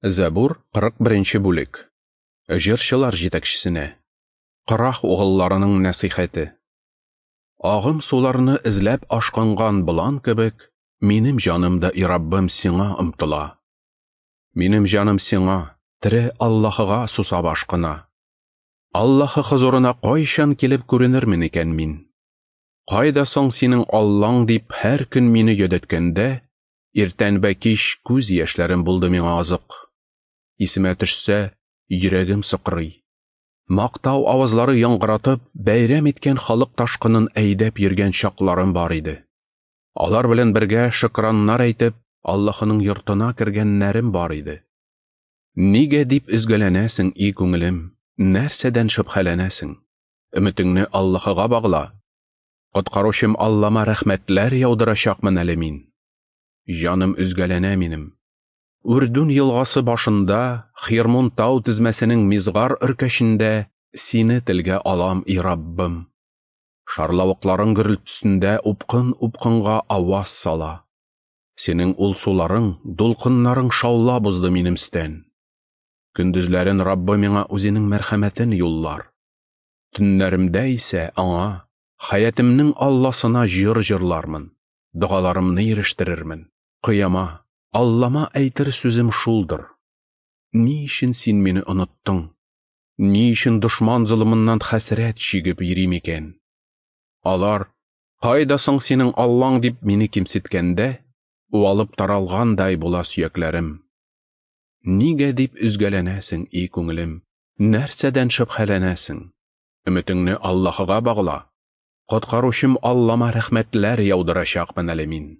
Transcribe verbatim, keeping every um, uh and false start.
Зәбур, кырык беренче бүлек. Җырчылар җитәкчесенә. Корах угылларының нәсыйхәте. Агым суларны эзләп ашкынган болан кебек, минем җаным да, и Раббым, сиңа омтыла. Минем җаным сиңа, тере Аллаһыга сусап ашкына. Аллаһы хозурына кайчан килеп күренермен икән мин? Кайда соң синең Аллаң дип һәр көн мине йөдәткәндә, иртән вә кич күз яшьләрем булды миңа азык. Исемә төшсә, йөрәгем сыкрый. Мактау авазлары яңгыратып, бәйрәм иткән халык ташкынын әйдәп йөргән чакларым бар иде. Алар белән бергә шөкраннар әйтеп, Аллаһының йортына кергәннәрем бар иде. Нигә дип өзгәләнәсең, и күңелем? Нәрсәдән шөбһәләнәсең? Өметеңне Аллаһыга багла. Коткаручым Аллама рәхмәтләр яудырачакмын әле мин. Җаным өзгәләнә минем. Үрдүн елгасы башында, Хирмун тау тезмәсенең Мизгар өркәчендә сине телгә алам, и Раббым. Шарлавыкларың гөрелтесендә упкын-упкынга аваз сала. Синең ул суларың, дулкыннарың шаулап узды минем өстән. Көндезләрен Раббы миңа үзенең мәрхәмәтен юллар. Төннәремдә исә аңа, хәятымның Алласына җыр җырлармын, догаларымны ирештерермен. Кыяма, Аллама әйтер сүзем шулдыр. Ни өчен син мине оныттың? Ни өчен дошман золымыннан хәсрәт чигеп йөрим икән? Алар, кайда соң синең Аллаң дип мине кимсеткәндә, уалып таралгандай була сөякләрем. Нигә дип өзгәләнәсең, и күңелем? Нәрсәдән шөбһәләнәсең? Өметеңне Аллаһыга багла. Коткаручым Аллама рәхмәтләр яудырачакмын әле мин.